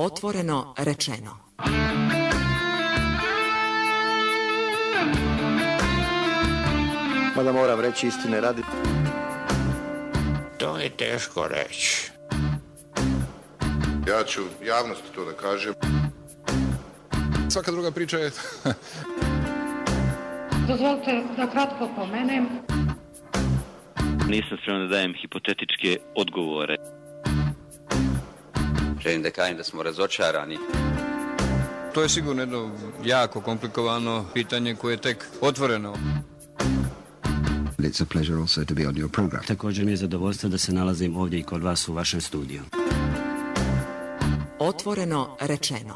Otvoreno rečeno. Mada moram reći istine radi. To je teško reći. Ja ću javnosti to da kažem. Svaka druga priča je... Dozvolite da kratko pomenem. Nisam spreman da dajem hipotetičke odgovore. Želim da kažem da smo razočarani. To je sigurno jedno jako komplikovano pitanje koje je tek otvoreno. It's a pleasure also to be on your program. Također mi je zadovoljstvo da se nalazim ovdje i kod vas u vašem studiju. Otvoreno rečeno.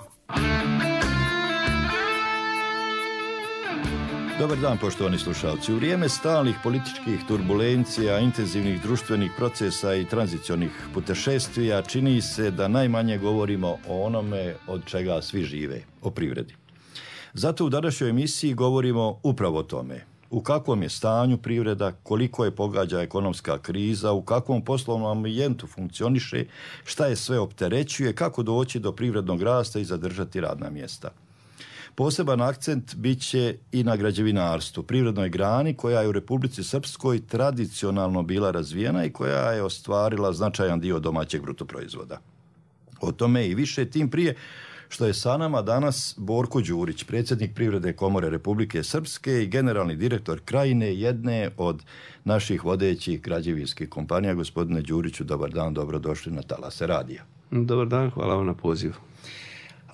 Dobar dan, poštovani slušalci. U vrijeme stalnih političkih turbulencija, intenzivnih društvenih procesa i tranzicionih putešestvija čini se da najmanje govorimo o onome od čega svi žive, o privredi. Zato u današnjoj emisiji govorimo upravo o tome. U kakvom je stanju privreda, koliko je pogađa ekonomska kriza, u kakvom poslovnom ambijentu funkcioniše, šta je sve opterećuje, kako doći do privrednog rasta i zadržati radna mjesta. Poseban akcent bit će i na građevinarstvu, privrednoj grani koja je u Republici Srpskoj tradicionalno bila razvijena i koja je ostvarila značajan dio domaćeg brutoproizvoda. O tome i više, tim prije što je sa nama danas Borko Đurić, predsjednik Privredne komore Republike Srpske i generalni direktor Krajine, jedne od naših vodećih građevinskih kompanija. Gospodine Đuriću, dobar dan, dobrodošli na Talase radija. Dobar dan, hvala vam na pozivu.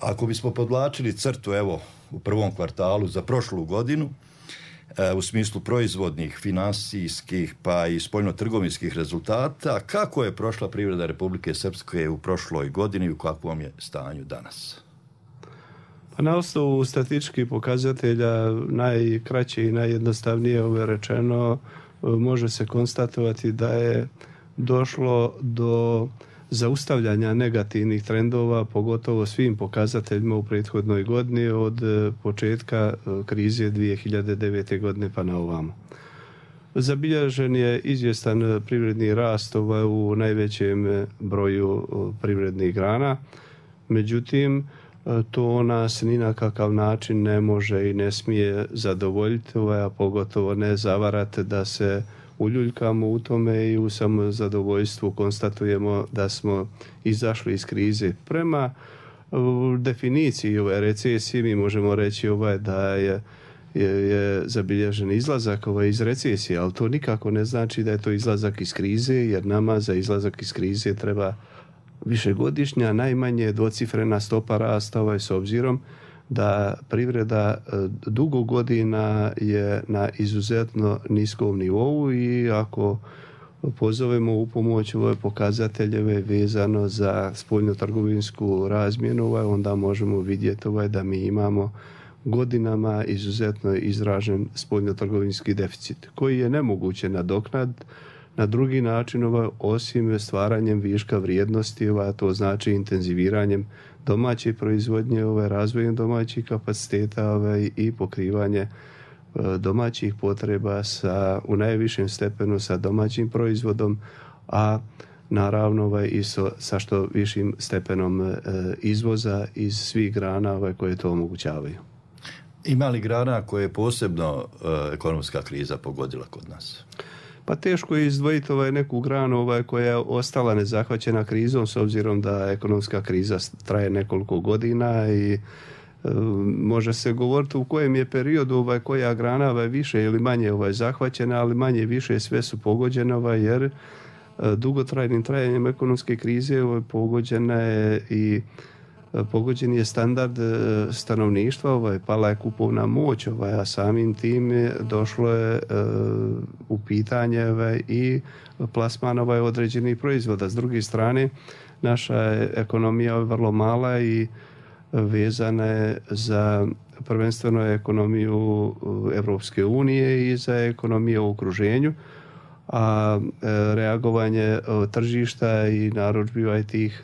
Ako bismo podvlačili crtu, evo, u prvom kvartalu za prošlu godinu, u smislu proizvodnih, finansijskih pa i spoljno-trgovinskih rezultata, kako je prošla privreda Republike Srpske u prošloj godini i u kakvom je stanju danas? Pa na osnovu statističkih pokazatelja najkraće i najjednostavnije rečeno može se konstatovati da je došlo do zaustavljanja negativnih trendova, pogotovo svim pokazateljima u prethodnoj godini od početka krize 2009. godine pa na ovamo. Zabilježen je izvjestan privredni rast u najvećem broju privrednih grana, međutim to nas ni na kakav način ne može i ne smije zadovoljiti, a pogotovo ne zavarati da se uljuljkamo u tome i u samozadovoljstvu konstatujemo da smo izašli iz krize. Prema definiciji ove recesije mi možemo reći da je zabilježen izlazak iz recesije, ali to nikako ne znači da je to izlazak iz krize, jer nama za izlazak iz krize treba višegodišnja, najmanje dvocifrena stopa rasta, s obzirom da privreda dugo godina je na izuzetno niskom nivou i ako pozovemo u pomoć ove pokazateljeve vezano za spoljnotrgovinsku razmjenu, onda možemo vidjeti da mi imamo godinama izuzetno izražen spoljnotrgovinski deficit koji je nemoguće nadoknaditi na drugi način osim stvaranjem viška vrijednosti, to znači intenziviranjem domaće proizvodnje, razvojem domaćih kapaciteta i pokrivanje domaćih potreba u najvišem stepenu sa domaćim proizvodom, a naravno i sa što višim stepenom izvoza iz svih grana koje to omogućavaju. Ima li grana koje je posebno ekonomska kriza pogodila kod nas? Pa teško je izdvojiti neku granu koja je ostala nezahvaćena krizom, s obzirom da ekonomska kriza traje nekoliko godina i može se govoriti u kojem je periodu koja grana više ili manje zahvaćena, ali manje više sve su pogođene, jer dugotrajnim trajanjem ekonomske krize pogođena je i pogođen je standard stanovništva, pala je kupovna moć, a samim tim došlo je u pitanje i plasman određenih proizvoda. S druge strane, naša ekonomija je vrlo mala i vezana je za prvenstveno ekonomiju Evropske unije i za ekonomiju u okruženju, a reagovanje tržišta i narudžbi tih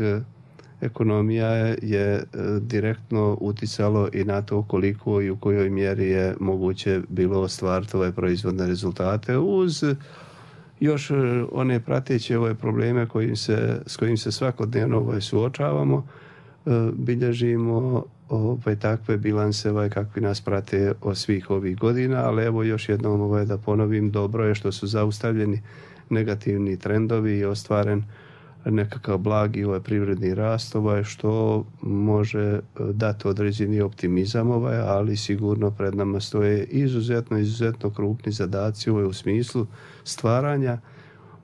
ekonomija je direktno uticalo i na to koliko i u kojoj mjeri je moguće bilo ostvariti ove proizvodne rezultate uz još one prateće probleme s kojim se svakodnevno suočavamo, bilježimo takve bilanse kakvi nas prate od svih ovih godina, ali evo još jednom da ponovim, dobro je što su zaustavljeni negativni trendovi i ostvaren nekakav blagi privredni rast što može dati određeni optimizam ali sigurno pred nama stoje izuzetno krupni zadaci u smislu stvaranja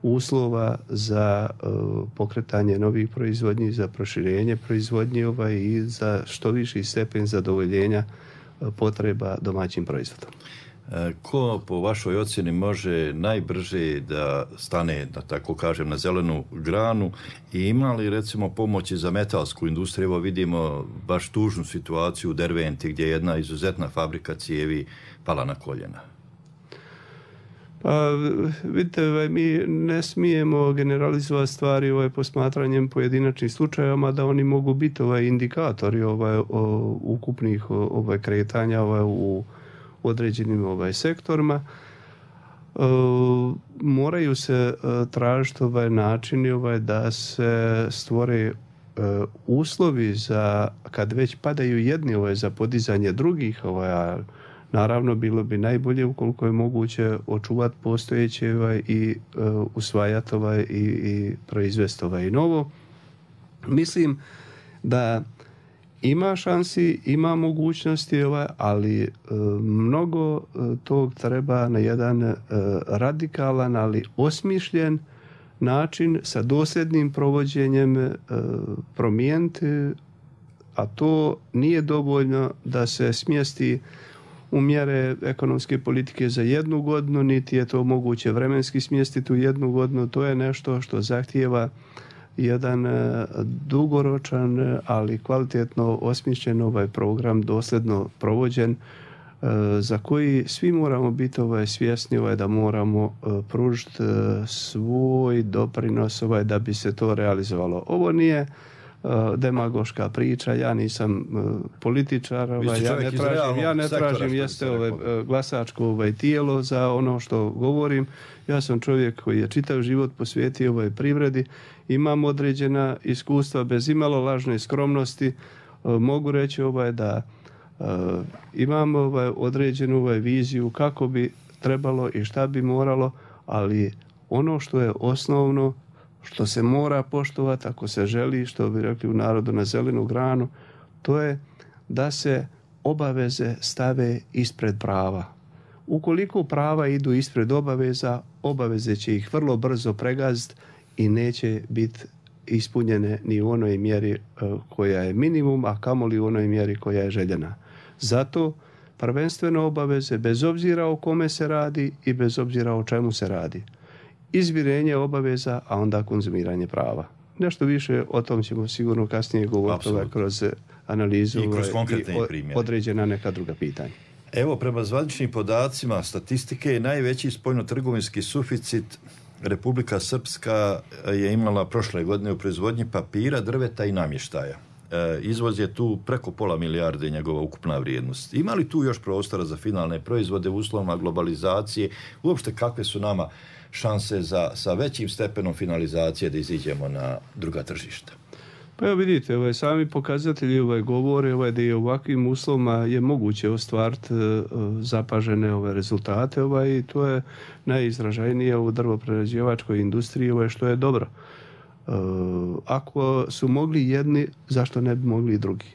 uslova za pokretanje novih proizvodnji, za proširenje proizvodnje i za što viši stepen zadovoljenja potreba domaćim proizvodom. Ko po vašoj ocjeni može najbrže da stane, da tako kažem, na zelenu granu i ima li recimo pomoći za metalsku industriju? Evo vidimo baš tužnu situaciju u Derventi gdje je jedna izuzetna fabrika cijevi pala na koljena. Pa vidite, mi ne smijemo generalizovati stvari posmatranjem pojedinačnih slučajeva, da oni mogu biti indikatori ukupnih kretanja u određenim sektorima. Moraju se tražiti načini da se stvore uslovi za, kad već padaju jedni za podizanje drugih, naravno bilo bi najbolje ukoliko je moguće očuvati postojeće i usvajati i proizvesti novo. Mislim da ima šansi, ima mogućnosti, ali mnogo tog treba na jedan radikalan, ali osmišljen način sa dosljednim provođenjem promijeniti, a to nije dovoljno da se smjesti u mjere ekonomske politike za jednu godinu, niti je to moguće vremenski smjestiti u jednu godinu. To je nešto što zahtijeva jedan dugoročan, ali kvalitetno osmišljen program, dosljedno provođen, za koji svi moramo biti svjesni da moramo pružiti svoj doprinos da bi se to realizovalo. Ovo nije demagoška priča, ja nisam političar, ja ne tražim jeste glasačko tijelo za ono što govorim. Ja sam čovjek koji je čitav život posvetio privredi, imam određena iskustva, bez imalo lažne skromnosti mogu reći da imam određenu viziju kako bi trebalo i šta bi moralo, ali ono što je osnovno, što se mora poštovati ako se želi, što bi rekli u narodu, na zelenu granu, to je da se obaveze stave ispred prava. Ukoliko prava idu ispred obaveza, obaveze će ih vrlo brzo pregaziti i neće biti ispunjene ni u onoj mjeri koja je minimum, a kamoli u onoj mjeri koja je željena. Zato prvenstveno obaveze, bez obzira o kome se radi i bez obzira o čemu se radi. Izmirenje obaveza, a onda konzumiranje prava. Nešto više o tom ćemo sigurno kasnije govoriti kroz analizu i kroz konkretne primjere, određena neka druga pitanja. Evo, prema zvaničnim podacima statistike, najveći spoljnotrgovinski suficit Republika Srpska je imala prošle godine u proizvodnji papira, drveta i namještaja. Izvoz je tu preko £500 milijarde njegova ukupna vrijednost. Ima li tu još prostora za finalne proizvode u uslovima globalizacije? Uopšte kakve su nama šanse sa većim stepenom finalizacije da iziđemo na druga tržišta? Pa evo vidite, sami pokazatelji govore da i ovakvim uslovima je moguće ostvariti zapažene rezultate i to je najizražajnije u drvoprerađivačkoj industriji što je dobro. Ako su mogli jedni, zašto ne bi mogli i drugi?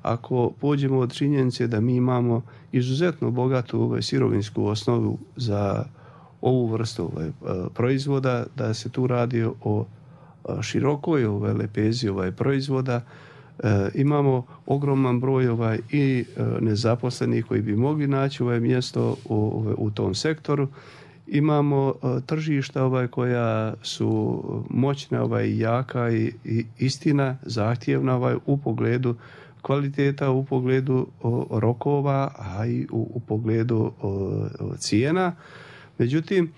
Ako pođemo od činjenice da mi imamo izuzetno bogatu sirovinsku osnovu za ovu vrstu proizvoda, da se tu radi o širokoj lepezi proizvoda, imamo ogroman broj i nezaposlenih koji bi mogli naći mjesto u tom sektoru. Imamo tržišta koja su moćna i jaka i istina zahtjevna u pogledu kvaliteta, u pogledu rokova, a i u pogledu cijena. Međutim,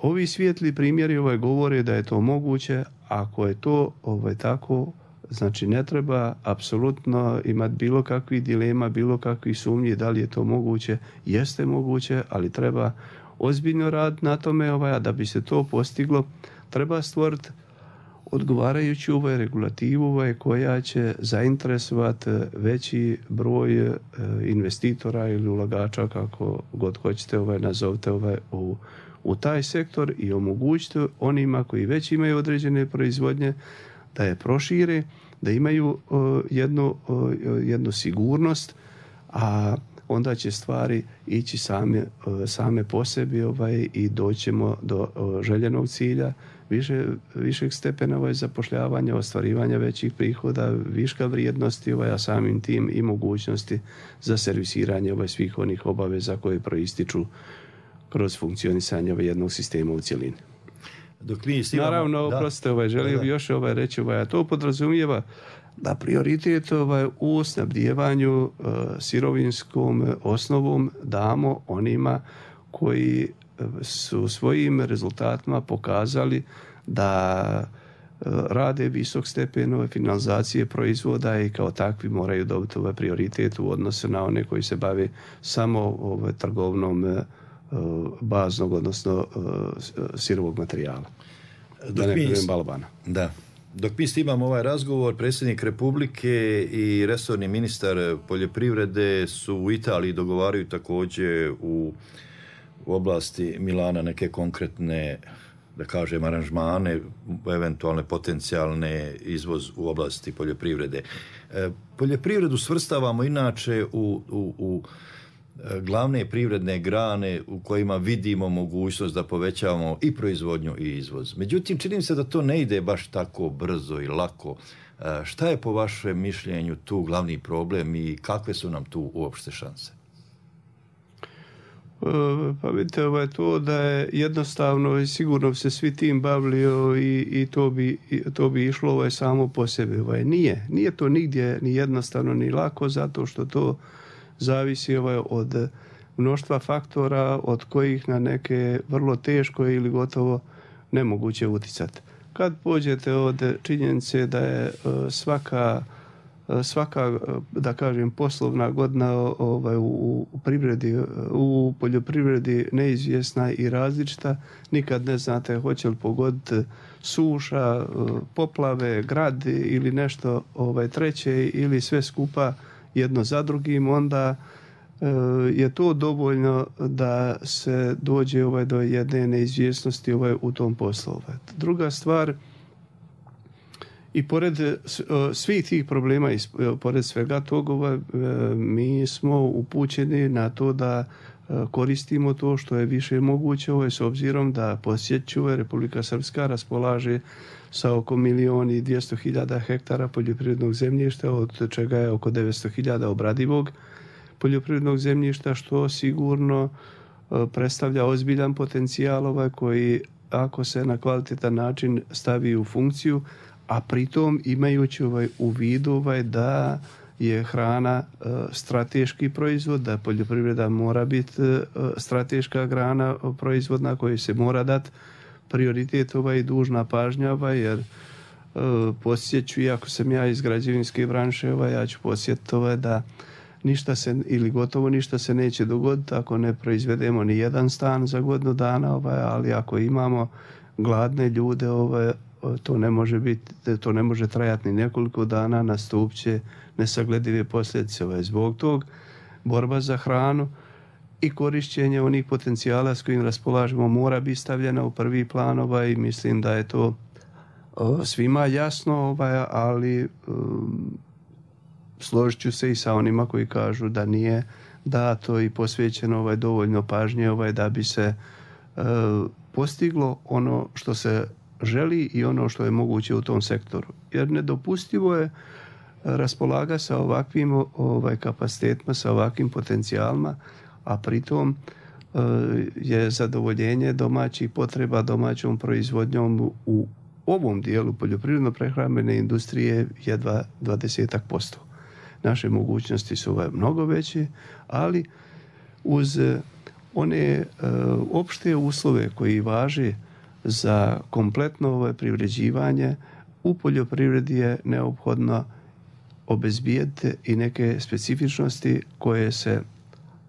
ovi svijetli primjeri govore da je to moguće. Ako je to tako, znači ne treba apsolutno imati bilo kakvih dilema, bilo kakvih sumnji da li je to moguće. Jeste moguće, ali treba ozbiljno raditi na tome, a da bi se to postiglo treba stvoriti odgovarajući regulativu koja će zainteresovati veći broj investitora ili ulagača, kako god hoćete nazovite u taj sektor i omogućiti onima koji već imaju određene proizvodnje da je prošire, da imaju jednu sigurnost, a onda će stvari ići same po sebi i doćemo do željenog cilja, višeg stepena zapošljavanja, ostvarivanja većih prihoda, viška vrijednosti, a samim tim i mogućnosti za servisiranje svih onih obaveza koje proističu kroz funkcionisanje jednog sistema u cjelini. Naravno, oprostite, želio bi još reći, a to podrazumijeva da prioritet u snabdijevanju sirovinskom osnovom damo onima koji su svojim rezultatima pokazali da rade visok stepen finalizacije proizvoda i kao takvi moraju dobiti prioritet u odnosu na one koji se bave samo trgovnom baznog, odnosno sirovog materijala. Dok mi snimamo ovaj razgovor, predsjednik Republike i resorni ministar poljoprivrede su u Italiji, dogovaraju također u oblasti Milana neke konkretne, da kažem, aranžmane, eventualne potencijalne izvoz u oblasti poljoprivrede. Poljoprivredu svrstavamo inače u glavne privredne grane u kojima vidimo mogućnost da povećavamo i proizvodnju i izvoz. Međutim, čini se da to ne ide baš tako brzo i lako. Šta je po vašem mišljenju tu glavni problem i kakve su nam tu uopšte šanse? Pa vidite, to da je jednostavno i sigurno se svi tim bavili i to bi išlo samo po sebi. Nije to nigdje ni jednostavno ni lako, zato što to zavisi od mnoštva faktora od kojih na neke vrlo teško ili gotovo nemoguće utjecati. Kad pođete od činjenice da je svaka da kažem poslovna godina u poljoprivredi neizvjesna i različita, nikad ne znate hoće li pogoditi suša, poplave, grad ili nešto treće ili sve skupa jedno za drugim, onda je to dovoljno da se dođe do jedne neizvjesnosti u tom poslu. Druga stvar, i pored svih tih problema i pored svega toga, mi smo upućeni na to da koristimo to što je više moguće, s obzirom da podsjeću Republika Srpska raspolaže sa oko 1.200.000 hektara poljoprivrednog zemljišta, od čega je oko 900.000 obradivog poljoprivrednog zemljišta, što sigurno predstavlja ozbiljan potencijal koji, ako se na kvalitetan način stavi u funkciju, a pritom imajući u vidu da je hrana strateški proizvod, da poljoprivreda mora biti strateška grana proizvodna kojoj se mora dati prioritet i dužna pažnja, jer podsjeću, iako sam ja iz građevinske branše, ja ću podsjetiti da ništa se, ili gotovo ništa se neće dogoditi ako ne proizvedemo ni jedan stan za godinu dana, ali ako imamo gladne ljude, to ne može trajati ni nekoliko dana, nastupit će nesagledive posljedice. Zbog tog borba za hranu i korišćenje onih potencijala s kojim raspolažemo mora biti stavljena u prvi plan, i mislim da je to svima jasno, ali složit ću se i sa onima koji kažu da nije dato i posvećeno dovoljno pažnje da bi se postiglo ono što se želi i ono što je moguće u tom sektoru. Jer nedopustivo je raspolaga sa ovakvim kapacitetima, sa ovakvim potencijalima, a pritom je zadovoljenje domaćih potreba domaćom proizvodnjom u ovom dijelu poljoprivredno-prehrambene industrije jedva 20%. Naše mogućnosti su mnogo veće, ali uz one opšte uslove koji važe za kompletno privređivanje, u poljoprivredi je neophodno obezbijeti i neke specifičnosti koje se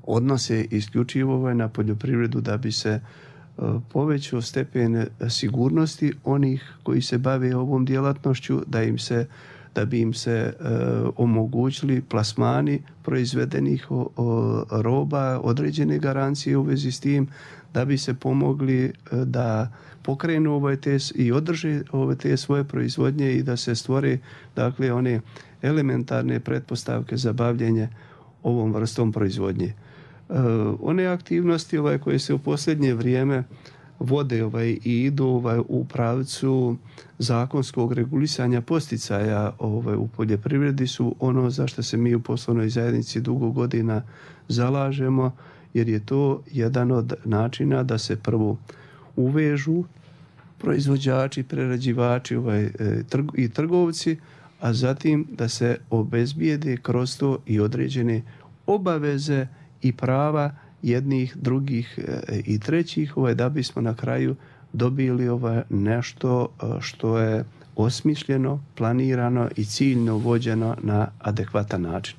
odnose isključivo na poljoprivredu da bi se povećao stepen sigurnosti onih koji se bave ovom djelatnošću, da bi im se omogućili plasmani proizvedenih roba, određene garancije u vezi s tim, da bi se pomogli da pokrenu i održe te svoje proizvodnje i da se stvore, dakle, one elementarne pretpostavke za bavljenje ovom vrstom proizvodnje. One aktivnosti koje se u posljednje vrijeme vode i idu u pravcu zakonskog regulisanja posticaja u poljoprivredi su ono za što se mi u poslovnoj zajednici dugo godina zalažemo, jer je to jedan od načina da se prvo uvežu proizvođači, prerađivači i trgovci, a zatim da se obezbijede kroz to i određene obaveze i prava jednih, drugih i trećih, da bismo na kraju dobili nešto što je osmišljeno, planirano i ciljno vođeno na adekvatan način.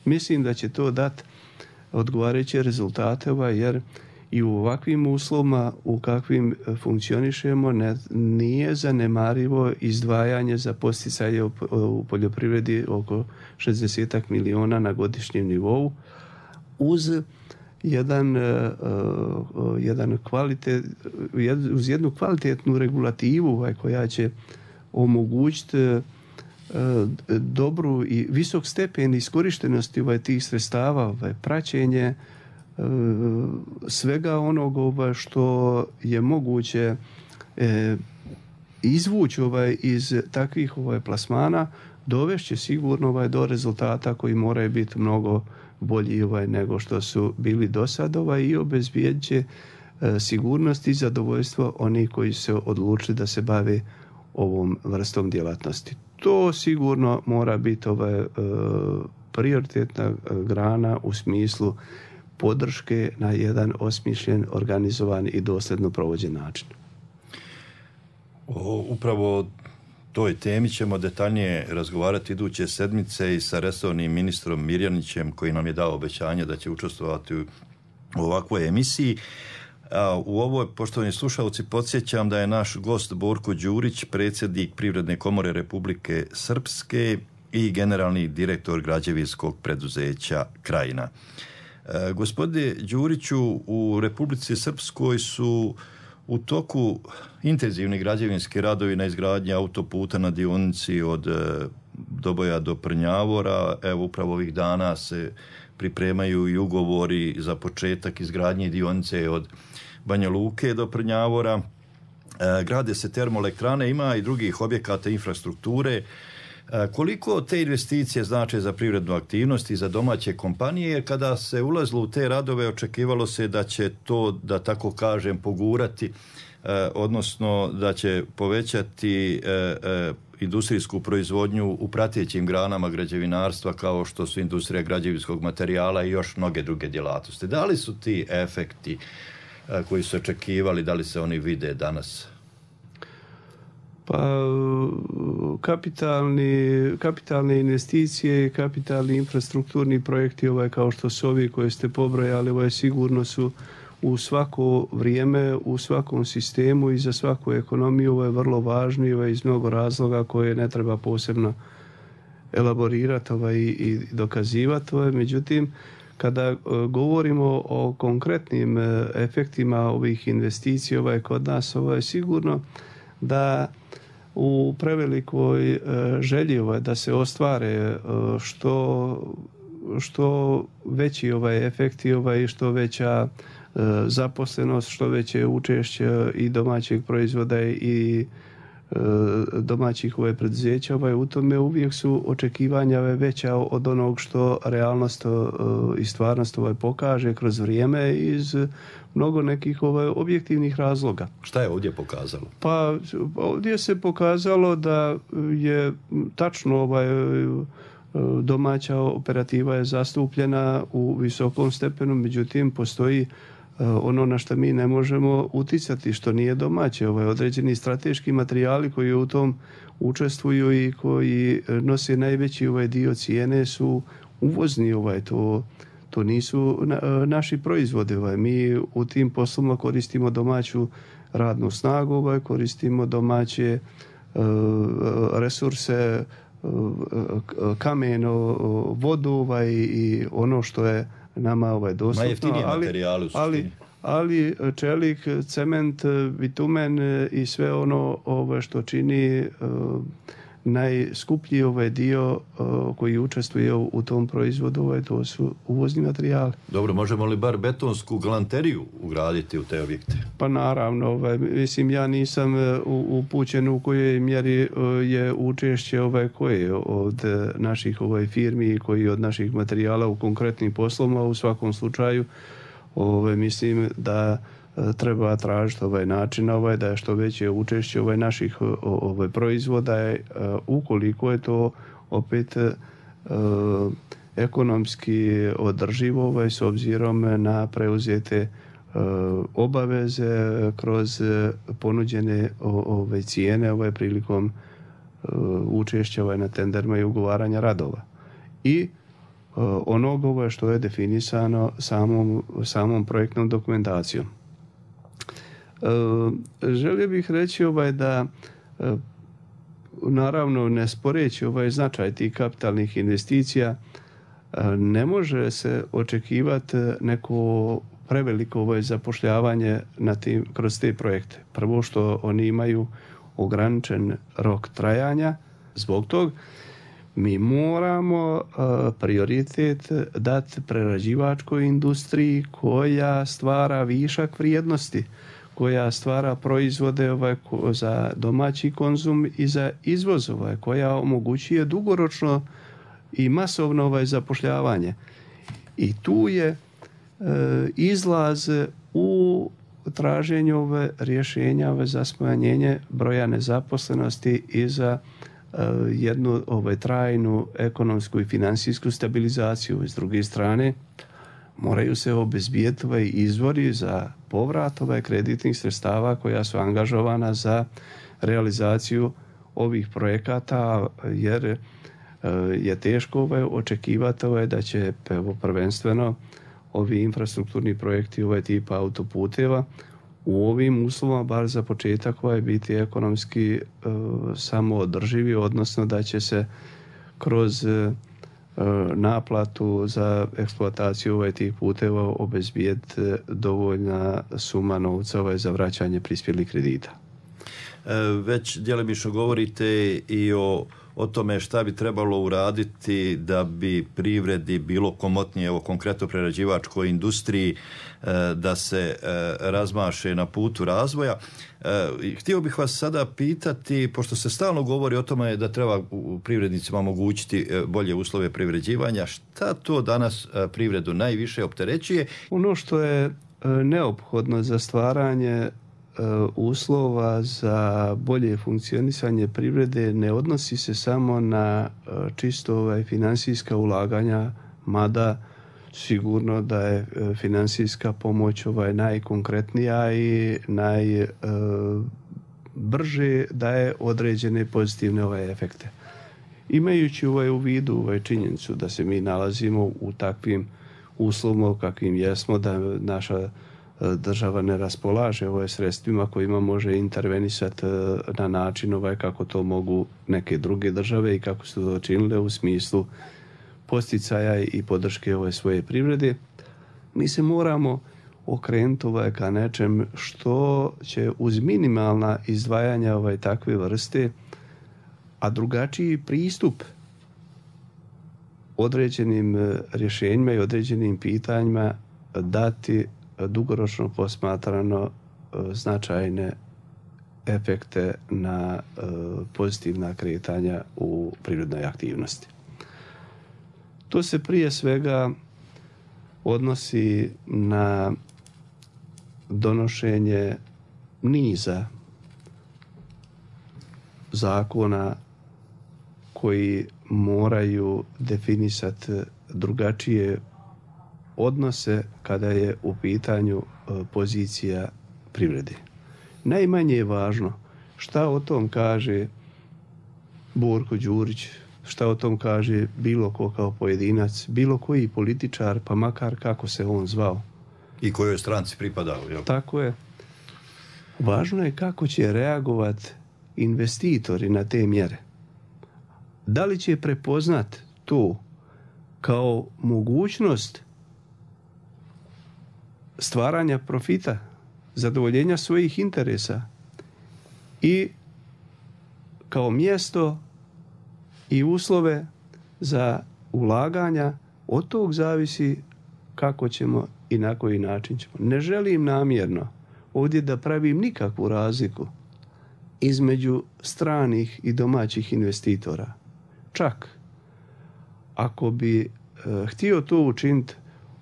Mislim da će to dati odgovarajuće rezultate, jer i u ovakvim uslovima u kakvim funkcionišemo nije zanemarivo izdvajanje za posticaje u poljoprivredi oko 60 miliona na godišnjem nivou, uz jednu kvalitetnu regulativu koja će omogućiti dobru i visok stepen iskorištenosti tih sredstava, praćenje svega onog što je moguće izvući iz takvih plasmana, dovešće sigurno do rezultata koji moraju biti mnogo bolji nego što su bili do sada i obezbijedit će sigurnost i zadovoljstvo onih koji se odlučili da se bave ovom vrstom djelatnosti. To sigurno mora biti prioritetna grana u smislu podrške na jedan osmišljen, organizovan i dosljedno provođen način. Upravo toj temi ćemo detaljnije razgovarati iduće sedmice i sa resornim ministrom Mirjanićem, koji nam je dao obećanje da će učestvovati u ovakvoj emisiji. U ovoj, poštovani slušalci, podsjećam da je naš gost Borko Đurić, predsjednik Privredne komore Republike Srpske i generalni direktor građevinskog preduzeća Krajina. Gospodine Đuriću, u Republici Srpskoj su u toku intenzivni građevinski radovi na izgradnji autoputa na dionici od Doboja do Prnjavora. Evo, upravo ovih dana se pripremaju i ugovori za početak izgradnje dionice od Banja Luke do Prnjavora. Grade se termoelektrane, ima i drugih objekata infrastrukture. Koliko te investicije znače za privrednu aktivnost i za domaće kompanije, jer kada se ulazilo u te radove očekivalo se da će to, da tako kažem, pogurati, odnosno da će povećati industrijsku proizvodnju u pratećim granama građevinarstva kao što su industrija građevinskog materijala i još mnoge druge djelatnosti. Da li su ti efekti koji su očekivali, da li se oni vide danas? Pa kapitalne investicije i kapitalni infrastrukturni projekti kao što su ovi koje ste pobrojali, sigurno su u svako vrijeme, u svakom sistemu i za svaku ekonomiju vrlo važni iz mnogo razloga koje ne treba posebno elaborirati i dokazivati. Međutim, kada govorimo o konkretnim efektima ovih investicija kod nas, je sigurno da u prevelikoj želji da se ostvare što veći efekti i što veća zaposlenost, što veće učešće i domaćeg proizvoda i domaćih preduzeća, u tome uvijek su očekivanja veća od onog što realnost i stvarnost pokaže kroz vrijeme iz mnogo nekih objektivnih razloga. Šta je ovdje pokazalo? Pa ovdje se pokazalo da je tačno domaća operativa je zastupljena u visokom stepenu, međutim postoji ono na što mi ne možemo uticati, što nije domaće. Određeni strateški materijali koji u tom učestvuju i koji nose najveći dio cijene su uvozni. To nisu naši proizvodi. Mi u tim poslovima koristimo domaću radnu snagu, koristimo domaće resurse, kamen, vodu i ono što je nama dostupno. Najjeftinije materijale u suštini. Ali čelik, cement, bitumen i sve ono što čini najskuplji dio koji učestvuje u tom proizvodu, to su uvozni materijali. Dobro, možemo li bar betonsku galanteriju ugraditi u te objekte? Pa naravno, mislim, ja nisam upućen u kojoj mjeri je učešće koje od naših firmi i koji od naših materijala u konkretnim poslovima. U svakom slučaju mislim da treba tražiti način da je što veće učešće naših proizvoda, ukoliko je to opet ekonomski održivo s obzirom na preuzete obaveze kroz ponuđene cijene prilikom učešća na tenderima i ugovaranja radova. I onoga što je definisano samom projektnom dokumentacijom. Želio bih reći da naravno ne sporeći značaj tih kapitalnih investicija, ne može se očekivati neko preveliko zapošljavanje kroz te projekte. Prvo što oni imaju ograničen rok trajanja, zbog tog mi moramo prioritet dati prerađivačkoj industriji koja stvara višak vrijednosti, koja stvara proizvode za domaći konzum i za izvoz, koja omogućuje dugoročno i masovno zapošljavanje. I tu je izlaz u traženju rješenja za smanjenje broja nezaposlenosti i za jednu trajnu ekonomsku i financijsku stabilizaciju. S druge strane, moraju se obezbijeti izvori za povrat kreditnih sredstava koja su angažovana za realizaciju ovih projekata, jer je teško očekivati da će prvenstveno ovi infrastrukturni projekti tipa autoputeva u ovim uslovima, bar za početak, biti ekonomski samoodrživi, odnosno da će se kroz naplatu za eksploataciju tih puteva obezbijeti dovoljna suma novca za vraćanje prispjelih kredita. Već djelomično govorite i o tome šta bi trebalo uraditi da bi privredi bilo komotnije, evo konkretno prerađivačkoj industriji, da se razmaše na putu razvoja. Htio bih vas sada pitati, pošto se stalno govori o tome da treba privrednicima omogućiti bolje uslove privređivanja, šta to danas privredu najviše opterećuje? Ono što je neophodno za stvaranje uslova za bolje funkcionisanje privrede ne odnosi se samo na čisto financijska ulaganja, mada sigurno da je financijska pomoć najkonkretnija i najbrže daje određene pozitivne efekte. Imajući u vidu činjenicu da se mi nalazimo u takvim uslovima kakvim jesmo, da naša država ne raspolaže sredstvima kojima može intervenisati na način kako to mogu neke druge države i kako su to činile u smislu posticaja i podrške svoje privrede. Mi se moramo okrenuti ka nečem što će uz minimalna izdvajanja takve vrste, a drugačiji pristup određenim rješenjima i određenim pitanjima dati dugoročno posmatrano značajne efekte na pozitivna kretanja u privrednoj aktivnosti. To se prije svega odnosi na donošenje niza zakona koji moraju definisati drugačije odnose kada je u pitanju pozicija privrede. Najmanje je važno šta o tom kaže Borko Đurić, šta o tom kaže bilo ko kao pojedinac, bilo koji političar, pa makar kako se on zvao. I kojoj stranci pripadao. Jel? Tako je. Važno je kako će reagovati investitori na te mjere. Da li će prepoznat to kao mogućnost stvaranja profita, zadovoljenja svojih interesa i kao mjesto i uslove za ulaganja, od tog zavisi kako ćemo i na koji način ćemo. Ne želim namjerno ovdje da pravim nikakvu razliku između stranih i domaćih investitora. Čak ako bi htio to učiniti,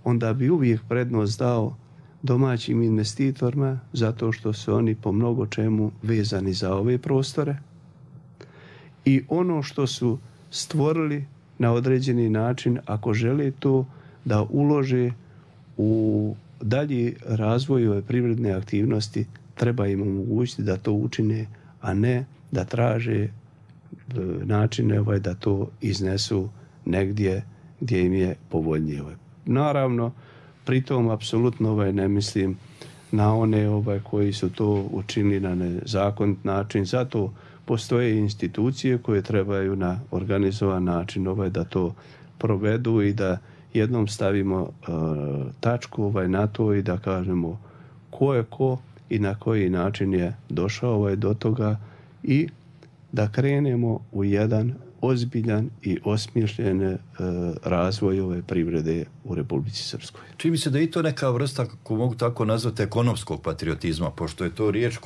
onda bi uvijek prednost dao domaćim investitorima zato što su oni po mnogo čemu vezani za ove prostore i ono što su stvorili na određeni način, ako žele to da ulože u dalji razvoj ove privredne aktivnosti, treba im omogućiti da to učine, a ne da traže načine da to iznesu negdje gdje im je povoljnije. Naravno, pritom apsolutno ne mislim na one koji su to učinili na nezakonit način. Zato postoje institucije koje trebaju na organizovan način da to provedu i da jednom stavimo tačku na to i da kažemo ko je ko i na koji način je došao do toga i da krenemo u jedan ozbiljan i osmišljen razvoj ove privrede u Republici Srpskoj. Čini mi se da je i to neka vrsta, ako mogu tako nazvati, ekonomskog patriotizma, pošto je to riječ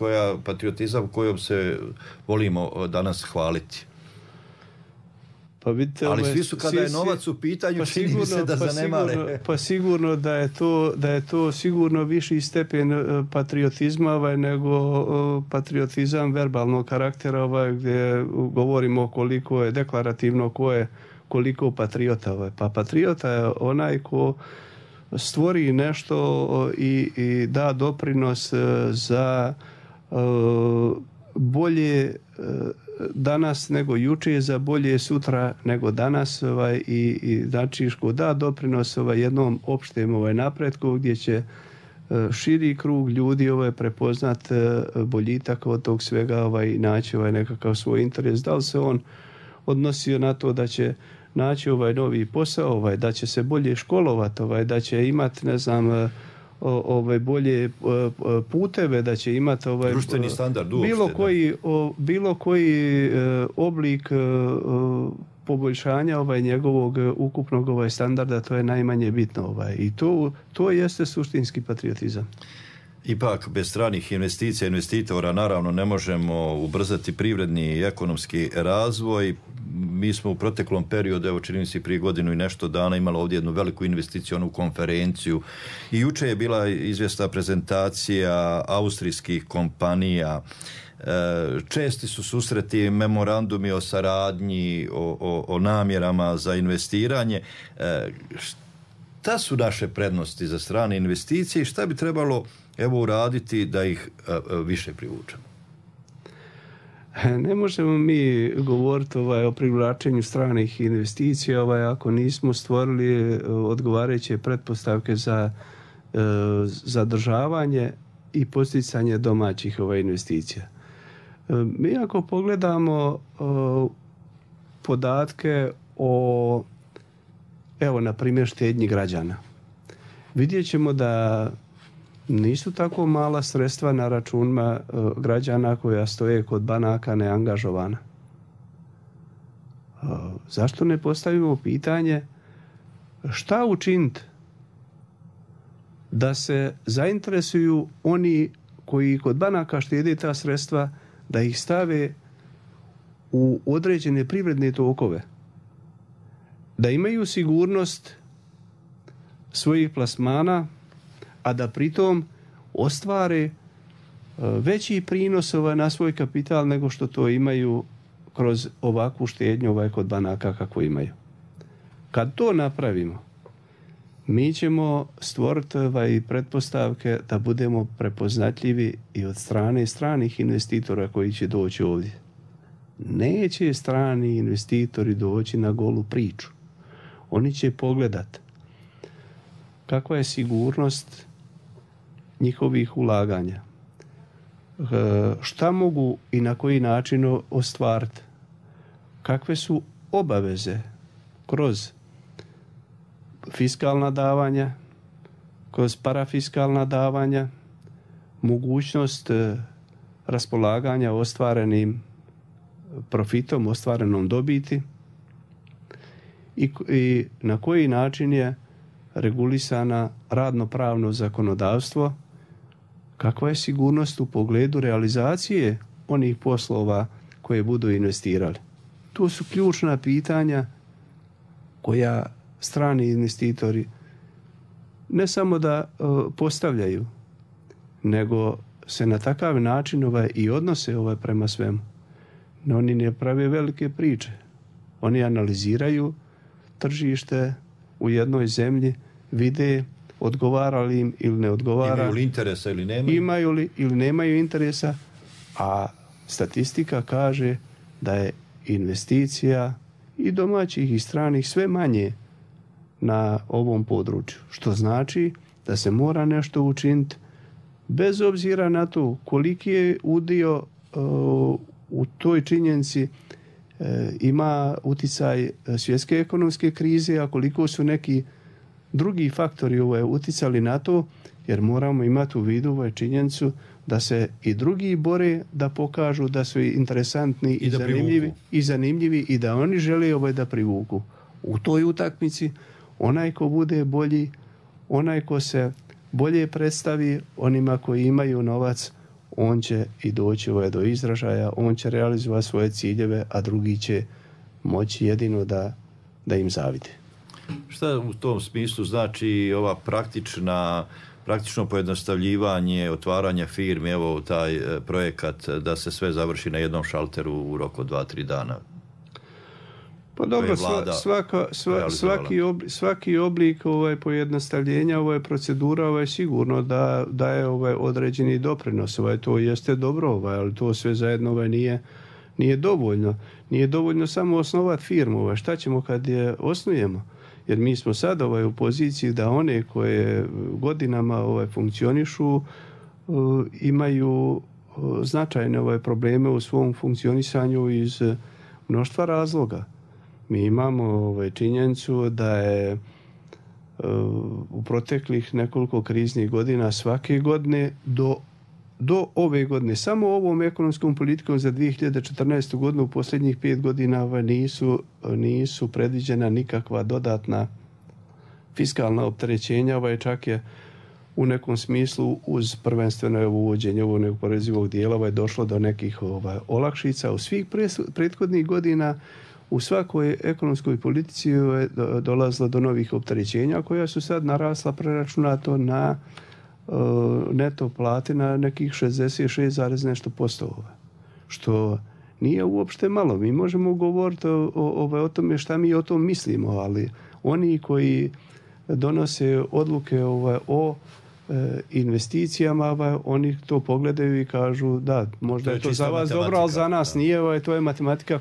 patriotizam kojom se volimo danas hvaliti. Pa vidite, ali svi su kada je novac u pitanju, čini mi se da zanemare. Pa sigurno da je to sigurno viši stepen patriotizma nego patriotizam verbalnog karaktera gdje govorimo koliko je deklarativno, koliko patriota. Pa patriota je onaj ko stvori nešto i da doprinos za bolje danas nego juče, za bolje sutra nego danas i znači da doprinos jednom opštem napretku gdje će širi krug ljudi prepoznat boljitak od tog svega i naći nekakav svoj interes. Da li se on odnosio na to da će naći novi posao, da će se bolje školovati, da će imati bolje puteve, da će imati društveni standard uopšte, bilo koji oblik poboljšanja njegovog ukupnog standarda, to je najmanje bitno i to jeste suštinski patriotizam. Ipak, bez stranih investicija, investitora, naravno ne možemo ubrzati privredni i ekonomski razvoj. Mi smo u proteklom periodu, evo čini mi se prije godinu i nešto dana, imali ovdje jednu veliku investicionu konferenciju i juče je bila izvjesna prezentacija austrijskih kompanija. Česti su susreti, memorandumi o saradnji, o namjerama za investiranje. Šta su naše prednosti za strane investicije i šta bi trebalo uraditi da ih više privučemo? Ne možemo mi govoriti o privlačenju stranih investicija ako nismo stvorili odgovarajuće pretpostavke za zadržavanje i posticanje domaćih investicija. Mi ako pogledamo podatke o na primjer štednji građana, vidjet ćemo da nisu tako mala sredstva na računima građana koja stoje kod banaka neangažovana. Zašto ne postavimo pitanje šta učiniti da se zainteresuju oni koji kod banaka štede ta sredstva, da ih stave u određene privredne tokove, da imaju sigurnost svojih plasmana, a da pritom ostvare veći prinos na svoj kapital nego što to imaju kroz ovakvu štednju kod banaka kako imaju. Kad to napravimo, mi ćemo stvoriti pretpostavke da budemo prepoznatljivi i od strane stranih investitora koji će doći ovdje. neće strani investitori doći na golu priču. Oni će pogledati kakva je sigurnost njihovih ulaganja, šta mogu i na koji način ostvariti, kakve su obaveze kroz fiskalna davanja, kroz parafiskalna davanja, mogućnost raspolaganja ostvarenim profitom, ostvarenom dobiti i na koji način je regulisana radno-pravno zakonodavstvo, kakva je sigurnost u pogledu realizacije onih poslova koje budu investirali. To su ključna pitanja koja strani investitori ne samo da postavljaju, nego se na takav način i odnose prema svemu. No, oni ne prave velike priče. Oni analiziraju tržište u jednoj zemlji, vide odgovara li im ili ne odgovara. Imaju li interesa ili nemaju? Imaju li ili nemaju interesa, a statistika kaže da je investicija i domaćih i stranih sve manje na ovom području. Što znači da se mora nešto učiniti bez obzira na to koliki je udio u toj činjenici ima uticaj svjetske ekonomske krize, a koliko su neki drugi faktori uticali na to, jer moramo imati u vidu činjenicu da se i drugi bore da pokažu da su interesantni i zanimljivi i da oni žele da privuku. U toj utakmici onaj ko bude bolji, onaj ko se bolje predstavi onima koji imaju novac, on će i doći do izražaja, on će realizovati svoje ciljeve, a drugi će moći jedino da im zavide. Šta u tom smislu znači ova praktično pojednostavljivanje, otvaranje firmi, evo taj projekat da se sve završi na jednom šalteru u roku 2-3 dana? Pa dobro, svaki oblik pojednostavljenja, procedura sigurno da daje određeni doprinos. To jeste dobro, ali to sve zajedno nije dovoljno. Nije dovoljno samo osnovati firmu. Šta ćemo kad je osnujemo? Jer mi smo sad u poziciji da one koje godinama funkcionišu imaju značajne probleme u svom funkcionisanju iz mnoštva razloga. Mi imamo činjenicu da je u proteklih nekoliko kriznih godina svake godine do ove godine, samo ovom ekonomskom politikom za 2014. godinu u posljednjih 5 godina nisu predviđena nikakva dodatna fiskalna opterećenja, čak je u nekom smislu uz prvenstveno uvođenje ovog neoporezivog dijela došlo do nekih olakšica. U svih prethodnih godina u svakoj ekonomskoj politici je dolazilo do novih opterećenja koja su sad narasla preračunato na neto plati na nekih 66, nešto posto. Što nije uopšte malo. Mi možemo govoriti o tome šta mi o tom mislimo, ali oni koji donose odluke o investicijama, oni to pogledaju i kažu da, možda je to za vas dobro, ali za nas nije. To je matematika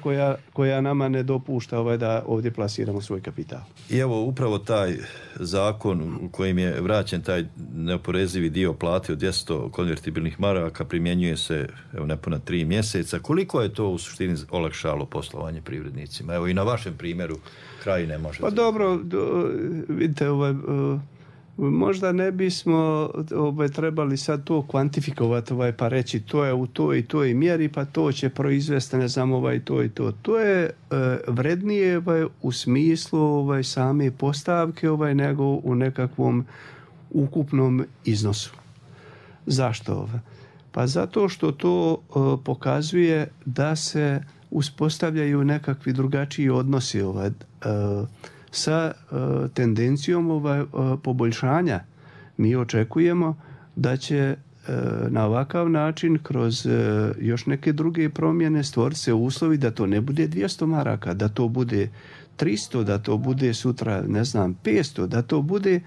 koja nama ne dopušta da ovdje plasiramo svoj kapital. I evo, upravo taj zakon u kojim je vraćen taj neoporezivi dio plate od 200 konvertibilnih maraka primjenjuje se nepuna 3 mjeseca. Koliko je to u suštini olakšalo poslovanje privrednicima? Evo i na vašem primjeru Krajine možete. Pa dobro, vidite, možda ne bismo trebali sad to kvantifikovati pa reći to je u toj i toj mjeri pa to će proizvesti ne znam to i to. To je vrednije u smislu same postavke nego u nekakvom ukupnom iznosu. Zašto? Pa zato što to pokazuje da se uspostavljaju nekakvi drugačiji odnosi sa tendencijom poboljšanja. Mi očekujemo da će na ovakav način kroz još neke druge promjene stvoriti se uslovi da to ne bude 200 maraka, da to bude 300, da to bude sutra 500, da to bude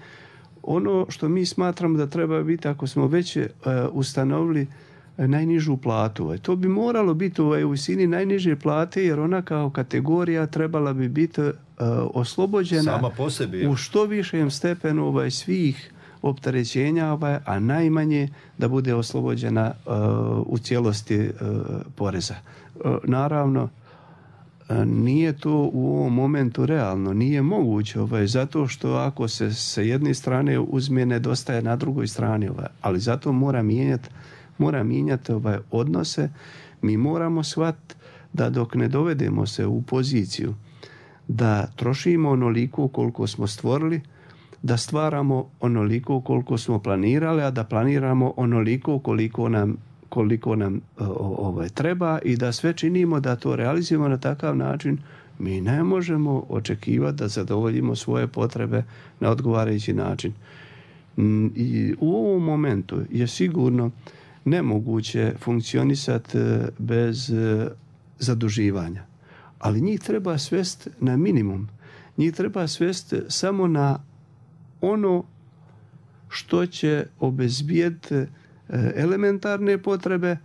ono što mi smatramo da treba biti ako smo već ustanovili najnižu platu. To bi moralo biti u visini najniže plate, jer ona kao kategorija trebala bi biti oslobođena sama po sebi, u što višem stepenu svih opterećenja, a najmanje da bude oslobođena u cijelosti poreza. Naravno, nije to u ovom momentu realno, nije moguće, zato što ako se sa jedne strane uzme, nedostaje na drugoj strani, ali zato mora mijenjati odnose. Mi moramo shvatiti da dok ne dovedemo se u poziciju da trošimo onoliko koliko smo stvorili, da stvaramo onoliko koliko smo planirali, a da planiramo onoliko koliko nam treba i da sve činimo da to realizujemo na takav način, mi ne možemo očekivati da zadovoljimo svoje potrebe na odgovarajući način. I u ovom momentu je sigurno nemoguće funkcionisati bez zaduživanja. Ali njih treba svesti na minimum. Njih treba svesti samo na ono što će obezbijediti elementarne potrebe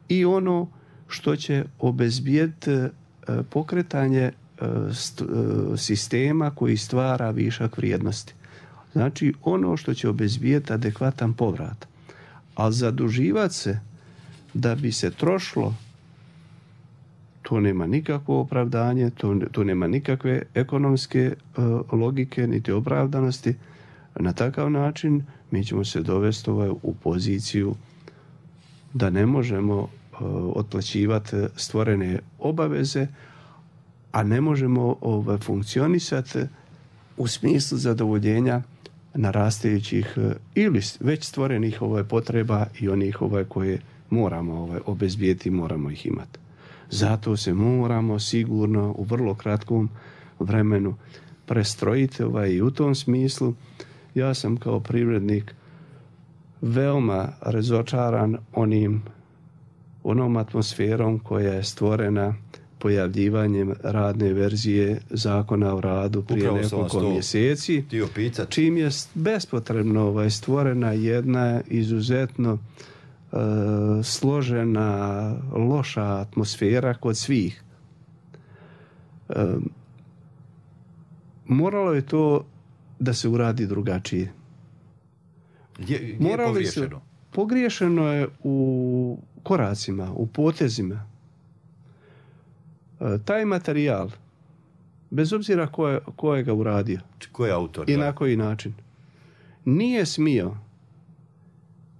i ono što će obezbijediti pokretanje sistema koji stvara višak vrijednosti. Znači ono što će obezbijediti adekvatan povrat. A zaduživati se da bi se trošilo, to nema nikakvo opravdanje, to nema nikakve ekonomske logike niti opravdanosti. Na takav način mi ćemo se dovesti u poziciju da ne možemo otplaćivati stvorene obaveze, a ne možemo funkcionisati u smislu zadovoljenja narastajućih ili već stvorenih potreba i onih koje moramo obezbijeti, moramo ih imati. Zato se moramo sigurno u vrlo kratkom vremenu prestrojiti i u tom smislu ja sam kao privrednik veoma razočaran onom atmosferom koja je stvorena pojavljivanjem radne verzije Zakona o radu prije nekoliko mjeseci, čim je bespotrebno stvorena jedna izuzetno složena, loša atmosfera kod svih. Moralo je to da se uradi drugačije. Gdje je pogriješeno? Pogriješeno je u koracima, u potezima. Taj materijal, bez obzira ko je ga uradio, ko je autor, i na koji način, nije smio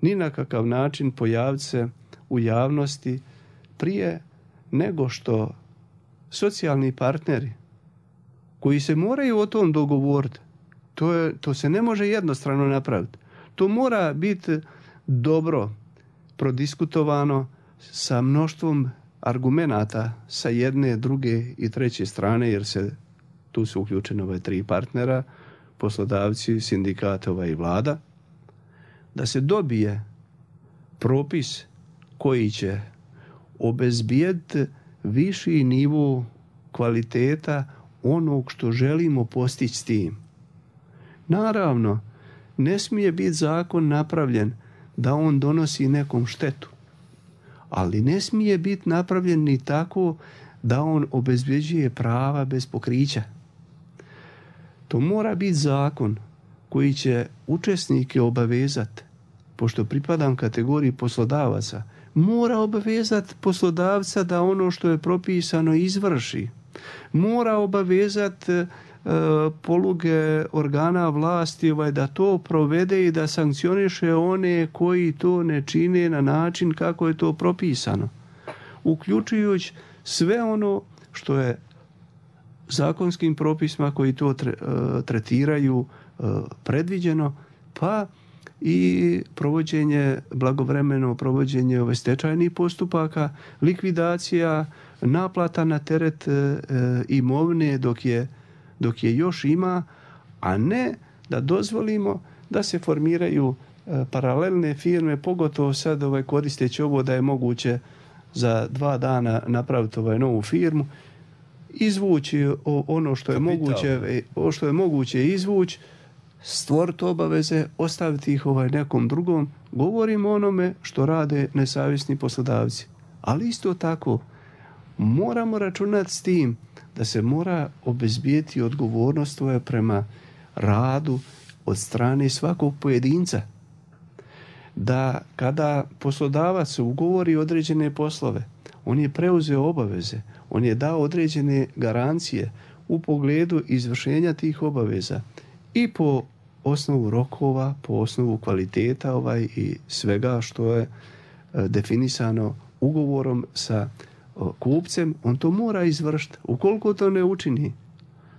ni na kakav način pojaviti se u javnosti prije nego što socijalni partneri koji se moraju o tom dogovoriti, to se ne može jednostrano napraviti. To mora biti dobro prodiskutovano sa mnoštvom argumenata sa jedne, druge i treće strane, jer tu su uključene tri partnera, poslodavci, sindikat i vlada, da se dobije propis koji će obezbijediti viši nivo kvaliteta onog što želimo postići s tim. Naravno, ne smije biti zakon napravljen da on donosi nekom štetu, ali ne smije biti napravljen ni tako da on obezbeđuje prava bez pokrića. To mora biti zakon koji će učesnike obavezati, pošto pripadam kategoriji poslodavaca, mora obavezati poslodavca da ono što je propisano izvrši. Mora obavezati poluge organa vlasti da to provede i da sankcioniše one koji to ne čine na način kako je to propisano, uključujući sve ono što je zakonskim propisima koji to tretiraju predviđeno, pa i blagovremeno provođenje stečajnih postupaka, likvidacija, naplata na teret imovine dok je još ima, a ne da dozvolimo da se formiraju paralelne firme, pogotovo sad koristeći ovo da je moguće za 2 dana napraviti novu firmu, izvući ono što je moguće izvući, stvoriti obaveze, ostaviti ih nekom drugom. Govorimo o onome što rade nesavjesni poslodavci. Ali isto tako moramo računati s tim da se mora obezbijeti odgovornost prema radu od strane svakog pojedinca. Da kada poslodavac ugovori određene poslove, on je preuzeo obaveze, on je dao određene garancije u pogledu izvršenja tih obaveza i po osnovu rokova, po osnovu kvaliteta i svega što je definisano ugovorom sa kupcem, on to mora izvršiti. Ukoliko to ne učini,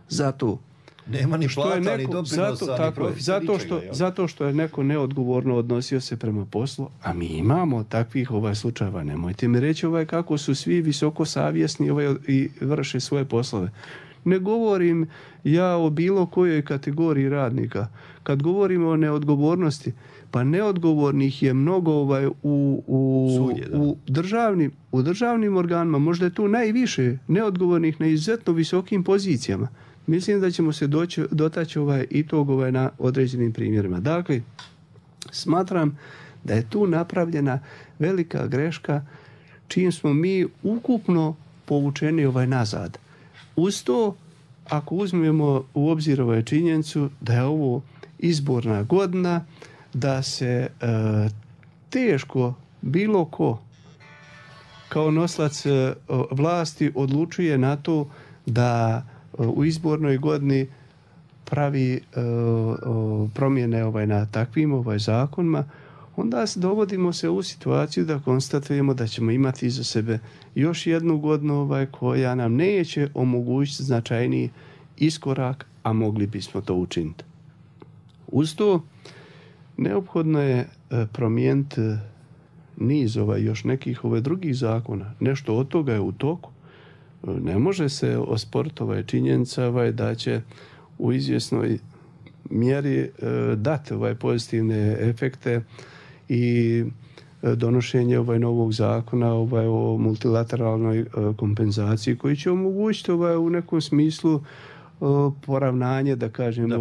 zato nema ni plata, ni doprinosa, ni profita, ničega. Zato što je neko neodgovorno odnosio se prema poslu, a mi imamo takvih slučajeva. Nemojte mi reći kako su svi visoko savjesni i vrše svoje poslove. Ne govorim ja o bilo kojoj kategoriji radnika. Kad govorimo o neodgovornosti, pa neodgovornih je mnogo u državnim organima, možda je tu najviše neodgovornih na izuzetno visokim pozicijama. Mislim da ćemo se dotaći i tog na određenim primjerima. Dakle, smatram da je tu napravljena velika greška čim smo mi ukupno povučeni nazad. Uz to, ako uzmemo u obzir činjenicu da je ovo izborna godina, da se teško bilo ko kao noslac vlasti odlučuje na to da u izbornoj godini pravi promjene na takvim zakonima, onda dovodimo se u situaciju da konstatujemo da ćemo imati iza sebe još jednu godinu koja nam neće omogućiti značajniji iskorak, a mogli bismo to učiniti. Uz to neophodno je promijeniti niz još nekih drugih zakona. Nešto od toga je u toku. Ne može se osporiti činjenica da će u izvjesnoj mjeri dati pozitivne efekte i donošenje novog zakona o multilateralnoj kompenzaciji koji će omogućiti u nekom smislu poravnanje, da kažem,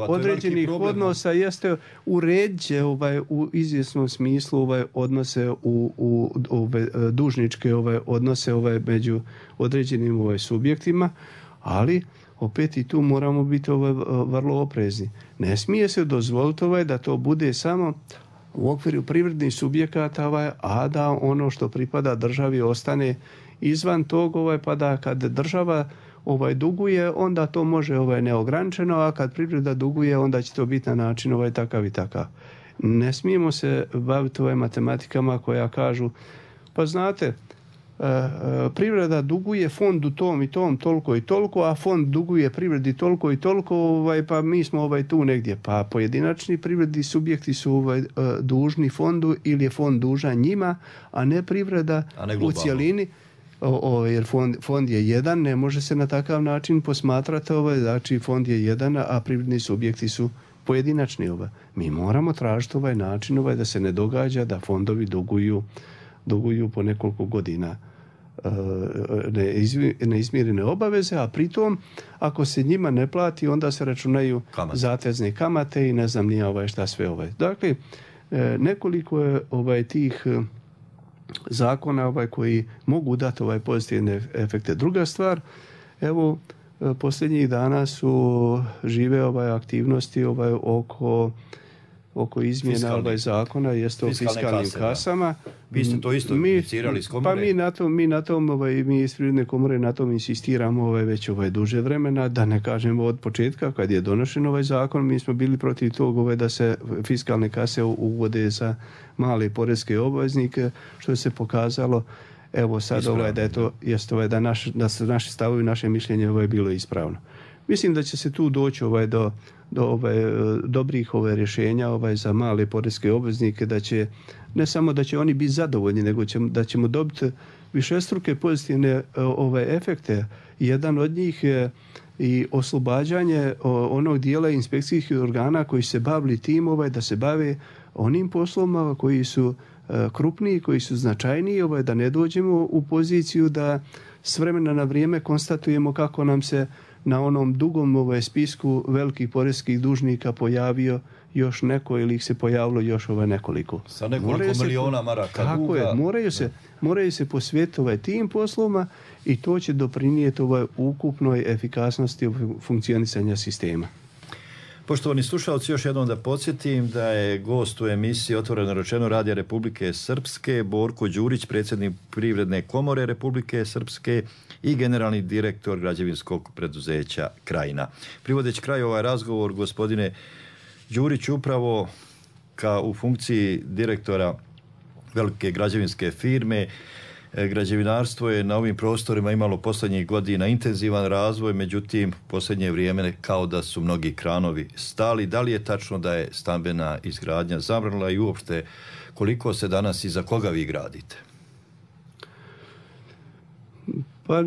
određenih odnosa, jeste uredće u izvjesnom smislu odnose u dužničke odnose među određenim subjektima, ali opet i tu moramo biti vrlo oprezni. Ne smije se dozvoliti da to bude samo u okviru privrednih subjekata, a da ono što pripada državi ostane izvan tog, pa da kad država duguje, onda to može neograničeno, a kad privreda duguje, onda će to biti na način takav i takav. Ne smijemo se baviti matematikama koja kažu, pa znate, privreda duguje fondu tom i tom toliko i toliko, a fond duguje privredi toliko i toliko, pa mi smo tu negdje. Pa pojedinačni privredni subjekti su dužni fondu ili je fond dužan njima, a ne privreda u cjelini. Jer fond je jedan, ne može se na takav način posmatrati, znači fond je jedan, a privredni subjekti su pojedinačni. Mi moramo tražiti način da se ne događa da fondovi duguju po nekoliko godina neizmirene obaveze, a pritom ako se njima ne plati, onda se računaju zatezne kamate i ne znam nije šta sve. Dakle, nekoliko je tih zakona koji mogu dati pozitivne efekte. Druga stvar, evo, posljednjih dana su žive aktivnosti oko izmjena zakona, jeste o fiskalnim kasama. Vi ste to isto inicirali s komore? Pa mi iz Privredne komore na tom insistiramo već duže vremena, da ne kažemo od početka kad je donošen zakon, mi smo bili protiv tog da se fiskalne kase uvode za male poreske obveznike, što se pokazalo evo sad da je to da su naši stavovi, naše mišljenje bilo ispravno. Mislim da će se tu doći do dobrih rješenja za male poreske obveznike, da će ne samo da će oni biti zadovoljni, nego da ćemo dobiti višestruke pozitivne efekte. Jedan od njih je i oslobađanje onog dijela inspekcijskih organa koji se bavili tim da se bave onim poslovima koji su krupniji, koji su značajniji, da ne dođemo u poziciju da s vremena na vrijeme konstatujemo kako nam se na onom dugom spisku velikih poreskih dužnika pojavio još neko ili ih se pojavilo još nekoliko. Sa nekoliko miliona maraka tako duga. Je, moraju se posvetiti tim poslovima i to će doprinijeti ukupnoj efikasnosti funkcionisanja sistema. Poštovani slušalci, još jednom da podsjetim da je gost u emisiji Otvoreno rečeno Radija Republike Srpske Borko Đurić, predsjednik Privredne komore Republike Srpske i generalni direktor građevinskog preduzeća Krajina. Privodeći kraju ovaj razgovor, gospodine Đurić, upravo u funkciji direktora velike građevinske firme, građevinarstvo je na ovim prostorima imalo posljednjih godina intenzivan razvoj, međutim, posljednje vrijeme kao da su mnogi kranovi stali. Da li je tačno da je stambena izgradnja zamrla i uopšte koliko se danas i za koga vi gradite? Pa,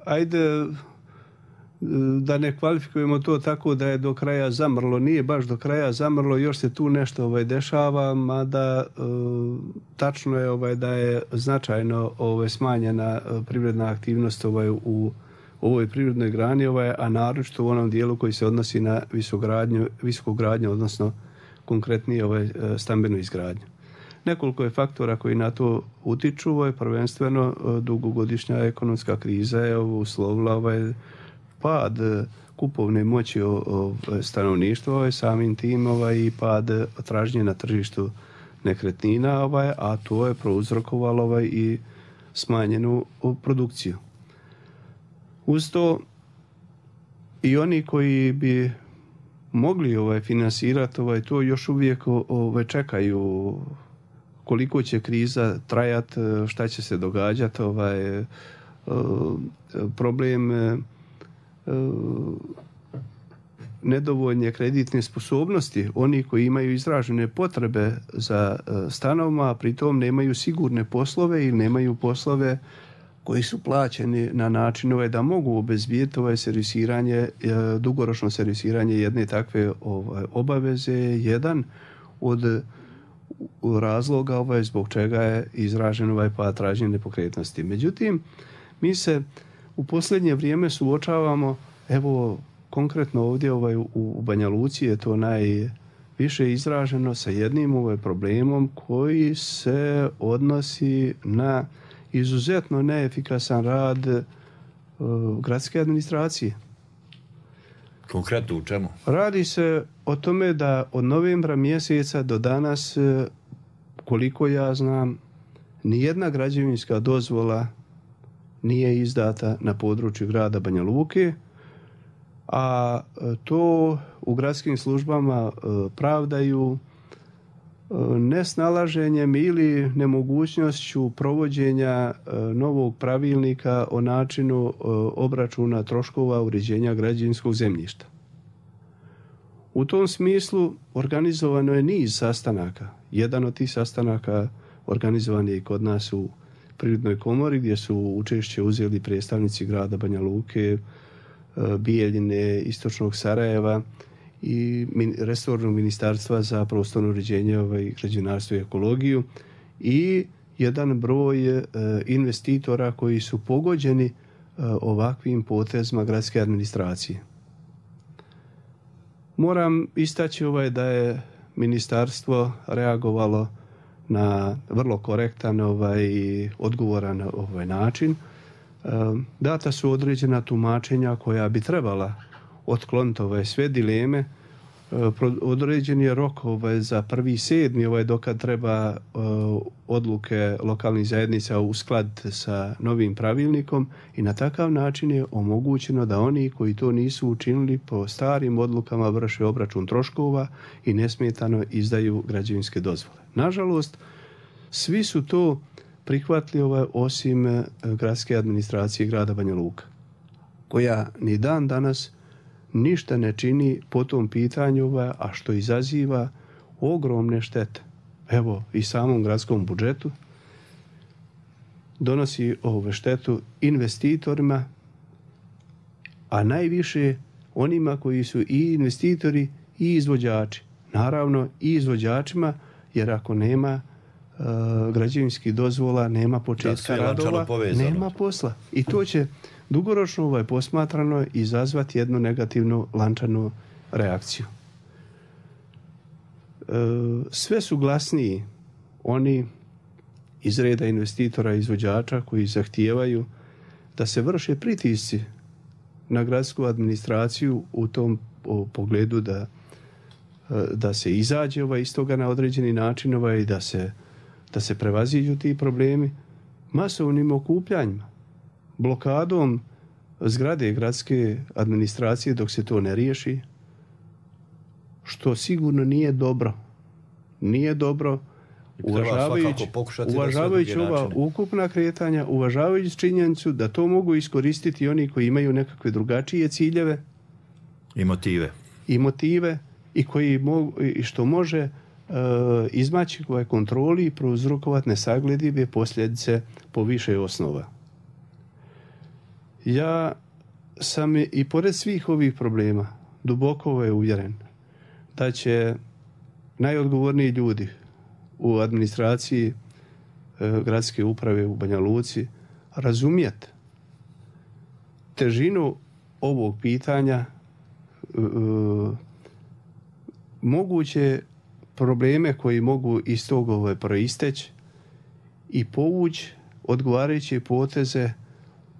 ajde da ne kvalifikujemo to tako da je do kraja zamrlo. Nije baš do kraja zamrlo, još se tu nešto dešava, mada tačno je da je značajno smanjena privredna aktivnost u ovoj privrednoj grani, a naročito u onom dijelu koji se odnosi na visoku gradnju, odnosno konkretnije stambenu izgradnju. Nekoliko je faktora koji na to utiču, prvenstveno dugogodišnja ekonomska kriza je uslovila pad kupovne moći stanovništva, samim tim i pad tražnje na tržištu nekretnina, a to je prouzrokovalo i smanjenu produkciju. Uz to i oni koji bi mogli finansirati to još uvijek čekaju koliko će kriza trajati, šta će se događati, problem nedovoljne kreditne sposobnosti, oni koji imaju izražene potrebe za stanovima, a pritom nemaju sigurne poslove ili nemaju poslove koji su plaćeni na način da mogu obezbijeti servisiranje, dugoročno servisiranje jedne takve obaveze, jedan od razloga zbog čega je izražen pad tražnje nepokretnosti. Međutim, mi se u posljednje vrijeme suočavamo, evo konkretno ovdje u Banja Luci je to najviše izraženo sa jednim problemom koji se odnosi na izuzetno neefikasan rad gradske administracije. Konkretno u čemu? Radi se o tome da od novembra mjeseca do danas, koliko ja znam, nijedna građevinska dozvola nije izdata na području grada Banja Luke, a to u gradskim službama pravdaju nesnalaženjem ili nemogućnošću provođenja novog pravilnika o načinu obračuna troškova uređenja građevinskog zemljišta. U tom smislu organizovano je niz sastanaka. Jedan od tih sastanaka organizovan je i kod nas u Privrednoj komori, gdje su učešće uzeli predstavnici grada Banja Luke, Bijeljine, Istočnog Sarajeva i resornog ministarstva za prostorno uređenje, građevinarstvo i ekologiju i jedan broj investitora koji su pogođeni ovakvim potezima gradske administracije. Moram istaći da je ministarstvo reagovalo na vrlo korektan i odgovoran način. Data su određena tumačenja koja bi trebala otkloniti sve dileme. Određen je rok za 1.7. dokad treba odluke lokalnih zajednica uskladiti sa novim pravilnikom i na takav način je omogućeno da oni koji to nisu učinili po starim odlukama vrše obračun troškova i nesmetano izdaju građevinske dozvole. Nažalost, svi su to prihvatili osim gradske administracije grada Banja Luka, koja ni dan danas ništa ne čini po tom pitanju, a što izaziva ogromne štete. Evo, i samom gradskom budžetu donosi štetu investitorima, a najviše onima koji su i investitori i izvođači. Naravno i izvođačima, jer ako nema građevinskih dozvola, nema početka radova, nema posla. I to će dugoročno posmatrano izazvati jednu negativnu lančanu reakciju. Sve su glasniji oni iz reda investitora i izvođača koji zahtijevaju da se vrše pritisci na gradsku administraciju u tom pogledu da se izađe iz toga na određeni način i da se prevaziđu ti problemi masovnim okupljanjima, blokadom zgrade gradske administracije dok se to ne riješi, što sigurno nije dobro. Nije dobro, uvažavajući ova ukupna kretanja, uvažavajući činjenicu da to mogu iskoristiti oni koji imaju nekakve drugačije ciljeve i motive i koji što može izmaći kontroli i prouzrokovati nesagledive posljedice po više osnova. Ja sam i pored svih ovih problema duboko uvjeren da će najodgovorniji ljudi u administraciji gradske uprave u Banja Luci razumjeti težinu ovog pitanja, moguće probleme koji mogu iz toga proisteći i povući odgovarajuće poteze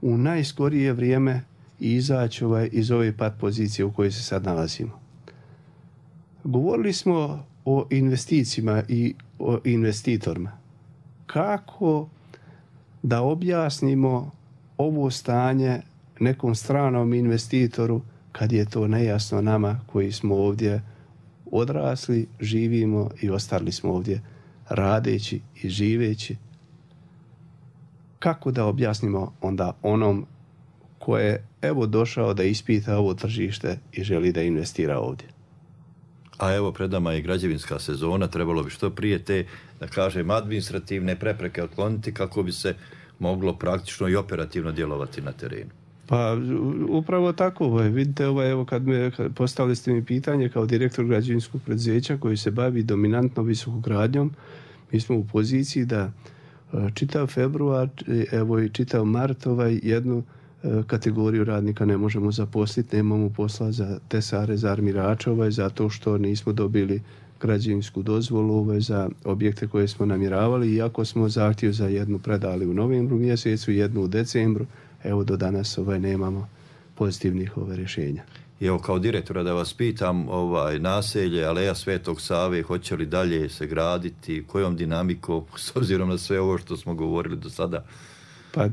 u najskorije vrijeme i izaći iz ove pat pozicije u kojoj se sad nalazimo. Govorili smo o investicijama i o investitorima. Kako da objasnimo ovo stanje nekom stranom investitoru kad je to nejasno nama koji smo ovdje odrasli, živimo i ostali smo ovdje radeći i živeći? Kako da objasnimo onda onom ko je došao da ispita ovo tržište i želi da investira ovdje? A evo, pred nama je građevinska sezona, trebalo bi što prije te, da kažem, administrativne prepreke otkloniti kako bi se moglo praktično i operativno djelovati na terenu. Pa upravo tako, vidite, kad postavili ste mi pitanje kao direktor građevinskog preduzeća koji se bavi dominantno visokogradnjom, mi smo u poziciji da čitav februar, i čitav mart jednu kategoriju radnika ne možemo zaposliti, nemamo posla za tesare, za armirača, zato što nismo dobili građevinsku dozvolu za objekte koje smo namjeravali, iako smo zahtjev za jednu predali u novembru mjesecu, jednu u decembru, do danas nemamo pozitivnih rješenja. I evo, kao direktora da vas pitam, naselje Aleja Svetog Save, hoće li dalje se graditi, kojom dinamikom, s obzirom na sve ovo što smo govorili do sada? Pa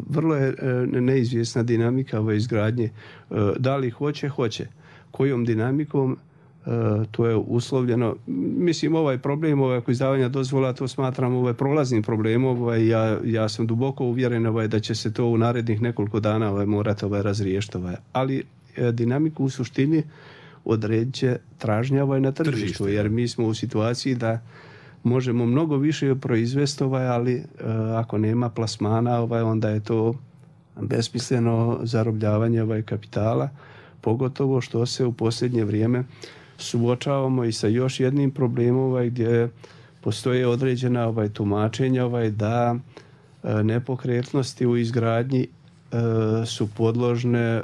vrlo je neizvjesna dinamika izgradnje. Da li hoće. Kojom dinamikom, to je uslovljeno. Mislim, ovaj problem oko izdavanja dozvola, to smatram prolaznim problemom. Ja sam duboko uvjeren da će se to u narednih nekoliko dana morati razriješiti. Ali dinamiku u suštini odredit će tražnja na tržištu, jer mi smo u situaciji da možemo mnogo više proizvesti, ali ako nema plasmana, onda je to besmisleno zarobljavanje kapitala, pogotovo što se u posljednje vrijeme suočavamo i sa još jednim problemom gdje postoje određena tumačenja da nepokretnosti u izgradnji su podložne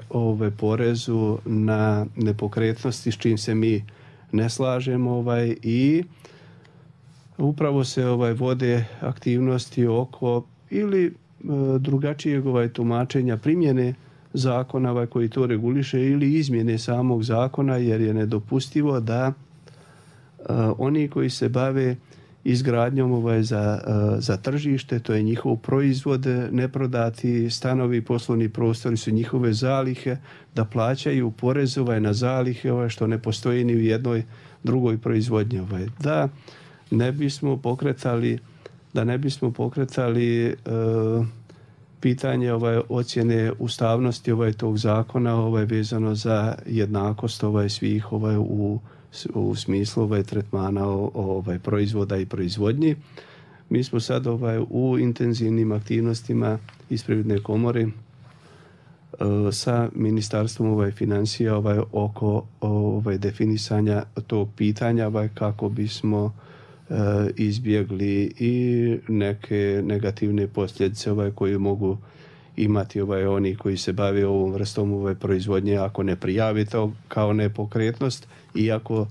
porezu na nepokretnosti, s čim se mi ne slažemo i upravo se vode aktivnosti oko ili drugačijeg tumačenja primjene zakona koji to reguliše ili izmjene samog zakona, jer je nedopustivo da oni koji se bave izgradnjom za tržište, to je njihov proizvod, neprodati stanovi, poslovni prostori su njihove zalihe, da plaćaju porez na zalihe što ne postoji ni u jednoj drugoj proizvodnji. Da ne bismo pokretali pitanje ocjene ustavnosti tog zakona vezano za jednakost svih u smislu tretmana proizvoda i proizvodnji. Mi smo sad u intenzivnim aktivnostima iz Privredne komore sa Ministarstvom financija oko definisanja tog pitanja kako bismo izbjegli i neke negativne posljedice koje mogu imati oni koji se bave ovom vrstom proizvodnje ako ne prijavi to kao nepokretnost, iako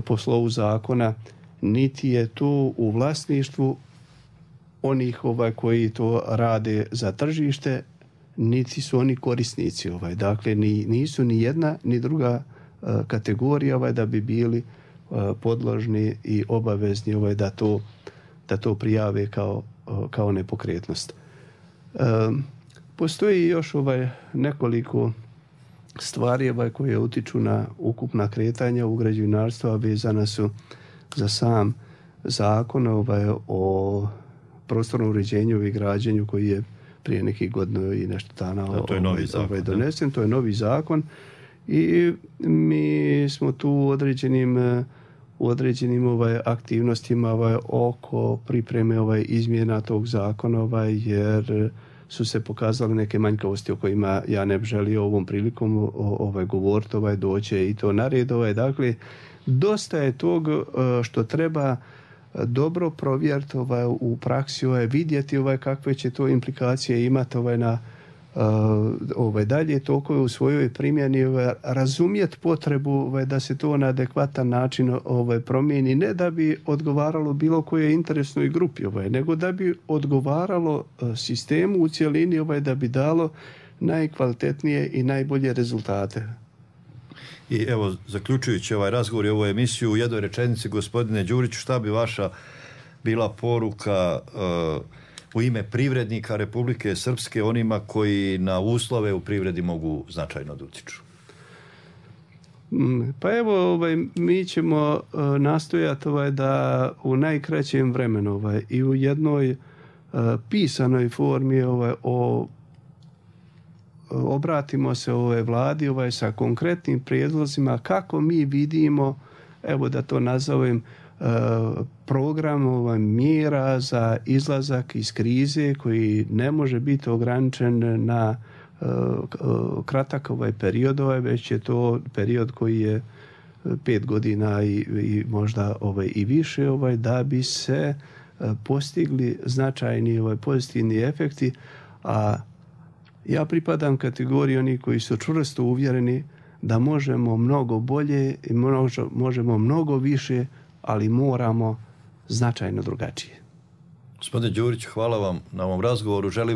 po slovu zakona niti je to u vlasništvu onih koji to rade za tržište, niti su oni korisnici. Dakle, nisu ni jedna ni druga kategorija da bi bili podložni i obavezni da to prijave kao nepokretnost. Postoji još nekoliko stvari koje utiču na ukupna kretanja u građevinarstvu, a vezana su za sam zakon o prostornom uređenju i građenju koji je prije nekih godina i nešto dana donesen. To je novi zakon i mi smo tu u određenim aktivnostima oko pripreme izmjena tog zakona jer su se pokazale neke manjkavosti o kojima ja ne bih želio ovom prilikom govoriti, doće i to na red. Dakle, dosta je tog što treba dobro provjeriti u praksi, vidjeti kakve će to implikacije imati na dalje tokove u svojoj primjeni, razumjeti potrebu da se to na adekvatan način promijeni, ne da bi odgovaralo bilo kojoj interesnoj grupi, nego da bi odgovaralo sistemu u cjelini, da bi dalo najkvalitetnije i najbolje rezultate. I evo, zaključujući ovaj razgovor i ovu emisiju, u jednoj rečenici, gospodine Đuriću, šta bi vaša bila poruka u ime privrednika Republike Srpske onima koji na uslove u privredi mogu značajno da utiču? Pa evo, mi ćemo nastojati da u najkraćem vremenu i u jednoj pisanoj formi obratimo se vladi sa konkretnim prijedlozima kako mi vidimo, evo da to nazovem, program mjera za izlazak iz krize koji ne može biti ograničen na kratak period, već je to period koji je 5 godina i možda i više, da bi se postigli značajni pozitivni efekti, a ja pripadam kategoriji onih koji su čvrsto uvjereni da možemo mnogo bolje i možemo mnogo više, ali moramo značajno drugačije. Gospodine Đurić, hvala vam na ovom razgovoru. Želim